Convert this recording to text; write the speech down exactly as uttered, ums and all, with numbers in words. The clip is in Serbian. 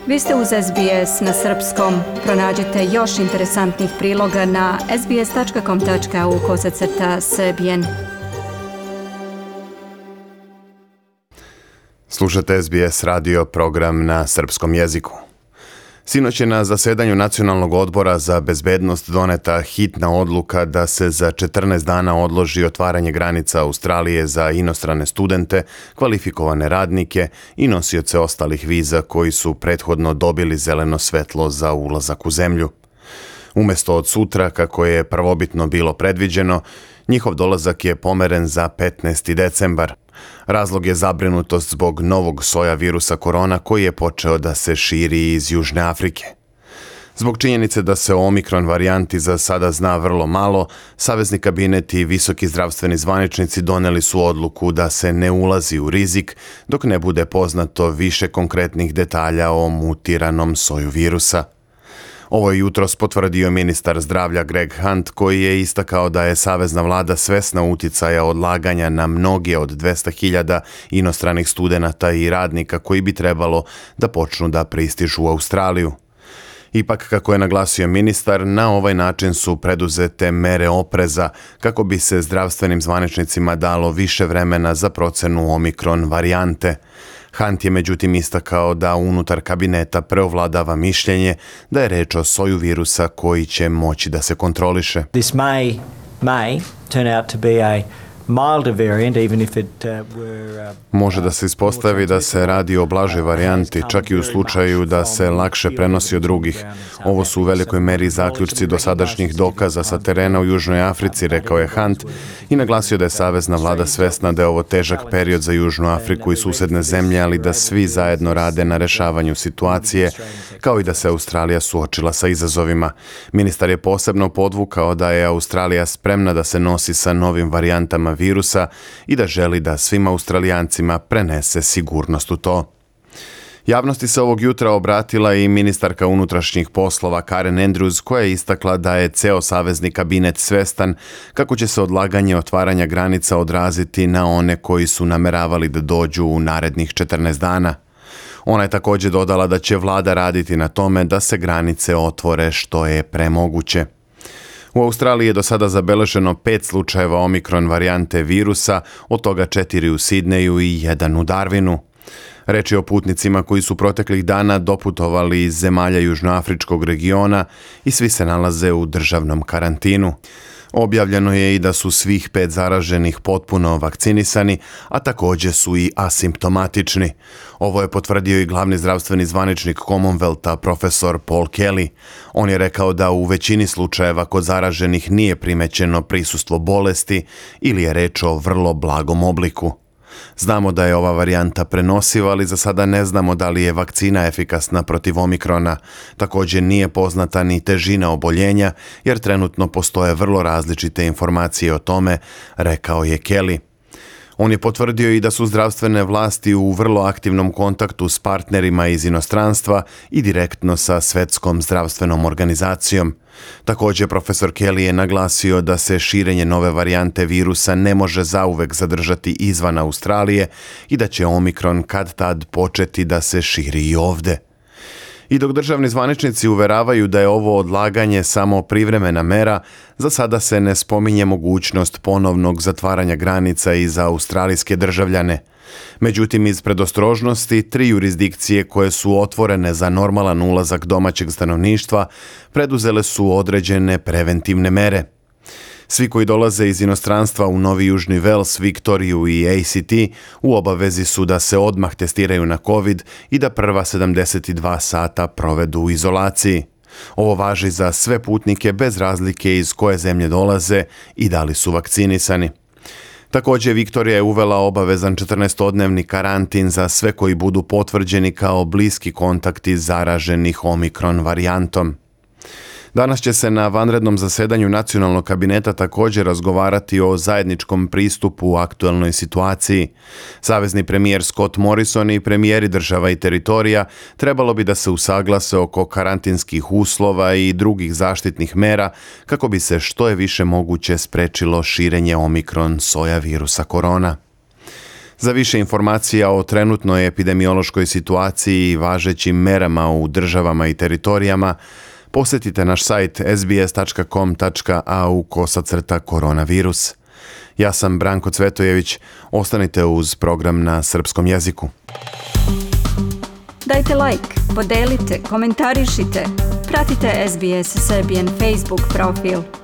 Vi ste uz S B S na srpskom. Pronađite još interesantnih priloga na sbs.com.au kosacrta srbijen. Slušate S B S radio program na srpskom jeziku. Sinoć je na zasedanju Nacionalnog odbora za bezbednost doneta hitna odluka da se za četrnaest dana odloži otvaranje granica Australije za inostrane studente, kvalifikovane radnike i nosioce ostalih viza koji su prethodno dobili zeleno svetlo za ulazak u zemlju. Umesto od sutra, kako je prvobitno bilo predviđeno, njihov dolazak je pomeren za petnaesti decembar. Razlog je zabrinutost zbog novog soja virusa korona koji je počeo da se širi iz Južne Afrike. Zbog činjenice da se o omikron varijanti za sada zna vrlo malo, Savezni kabinet i visoki zdravstveni zvaničnici doneli su odluku da se ne ulazi u rizik dok ne bude poznato više konkretnih detalja o mutiranom soju virusa. Ovo je jutros potvrdio ministar zdravlja Greg Hunt, koji je istakao da je savezna vlada svesna uticaja odlaganja na mnoge od dvesta hiljada inostranih studenata i radnika koji bi trebalo da počnu da pristižu u Australiju. Ipak, kako je naglasio ministar, na ovaj način su preduzete mere opreza kako bi se zdravstvenim zvaničnicima dalo više vremena za procenu omikron varijante. Hunt je međutim istakao da unutar kabineta preovladava mišljenje da je reč o soju virusa koji će moći da se kontroliše. This may, may turn out to be a milder variant, even if it uh, were, uh, Može da se ispostavi da se radi o blažoj varijanti, čak i u slučaju da se lakše prenosi od drugih. Ovo su u velikoj meri zaključci dosadašnjih dokaza sa terena u Južnoj Africi, rekao je Hunt, i naglasio da je savezna vlada svesna da je ovo težak period za Južnu Afriku i susedne zemlje, ali da svi zajedno rade na rešavanju situacije, kao i da se Australija suočila sa izazovima. Ministar je posebno podvukao da je Australija spremna da se nosi sa novim varijantama virusa i da želi da svim Australijancima prenese sigurnost u to. Javnosti se ovog jutra obratila i ministarka unutrašnjih poslova Karen Andrews, koja je istakla da je ceo savezni kabinet svestan kako će se odlaganje otvaranja granica odraziti na one koji su nameravali da dođu u narednih četrnaest dana. Ona je također dodala da će vlada raditi na tome da se granice otvore što je premoguće. U Australiji je do sada zabeleženo pet slučajeva omikron varijante virusa, od toga četiri u Sidneju i jedan u Darwinu. Reč je o putnicima koji su proteklih dana doputovali iz zemalja južnoafričkog regiona i svi se nalaze u državnom karantinu. Objavljeno je i da su svih pet zaraženih potpuno vakcinisani, a također su i asimptomatični. Ovo je potvrdio i glavni zdravstveni zvaničnik Commonwealtha, profesor Paul Kelly. On je rekao da u većini slučajeva kod zaraženih nije primećeno prisustvo bolesti ili je reč o vrlo blagom obliku. Znamo da je ova varijanta prenosiva, ali za sada ne znamo da li je vakcina efikasna protiv omikrona. Također nije poznata ni težina oboljenja, jer trenutno postoje vrlo različite informacije o tome, rekao je Kelly. On je potvrdio i da su zdravstvene vlasti u vrlo aktivnom kontaktu s partnerima iz inostranstva i direktno sa Svetskom zdravstvenom organizacijom. Također, profesor Kelly je naglasio da se širenje nove varijante virusa ne može zauvek zadržati izvan Australije i da će omikron kad tad početi da se širi i ovde. I dok državni zvaničnici uveravaju da je ovo odlaganje samo privremena mera, za sada se ne spominje mogućnost ponovnog zatvaranja granica i za australijske državljane. Međutim, iz predostrožnosti, tri jurisdikcije koje su otvorene za normalan ulazak domaćeg stanovništva preduzele su određene preventivne mere. Svi koji dolaze iz inostranstva u Novi Južni Vels, Viktoriju i A C T u obavezi su da se odmah testiraju na COVID i da prva sedamdeset dva sata provedu u izolaciji. Ovo važi za sve putnike bez razlike iz koje zemlje dolaze i da li su vakcinisani. Također, Viktorija je uvela obavezan četrnaestodnevni karantin za sve koji budu potvrđeni kao bliski kontakti zaraženih omikron varijantom. Danas će se na vanrednom zasedanju Nacionalnog kabineta također razgovarati o zajedničkom pristupu u aktuelnoj situaciji. Savezni premijer Scott Morrison i premijeri država i teritorija trebalo bi da se usaglase oko karantinskih uslova i drugih zaštitnih mera kako bi se što je više moguće sprečilo širenje omikron soja virusa korona. Za više informacija o trenutnoj epidemiološkoj situaciji i važećim merama u državama i teritorijama, posjetite naš sajt s b s tačka com tačka a u kosacrta koronavirus. Ja sam Branko Cvetojević, ostanite uz program na srpskom jeziku. Dajte like, podelite, komentarišite, pratite S B S Serbian Facebook profil.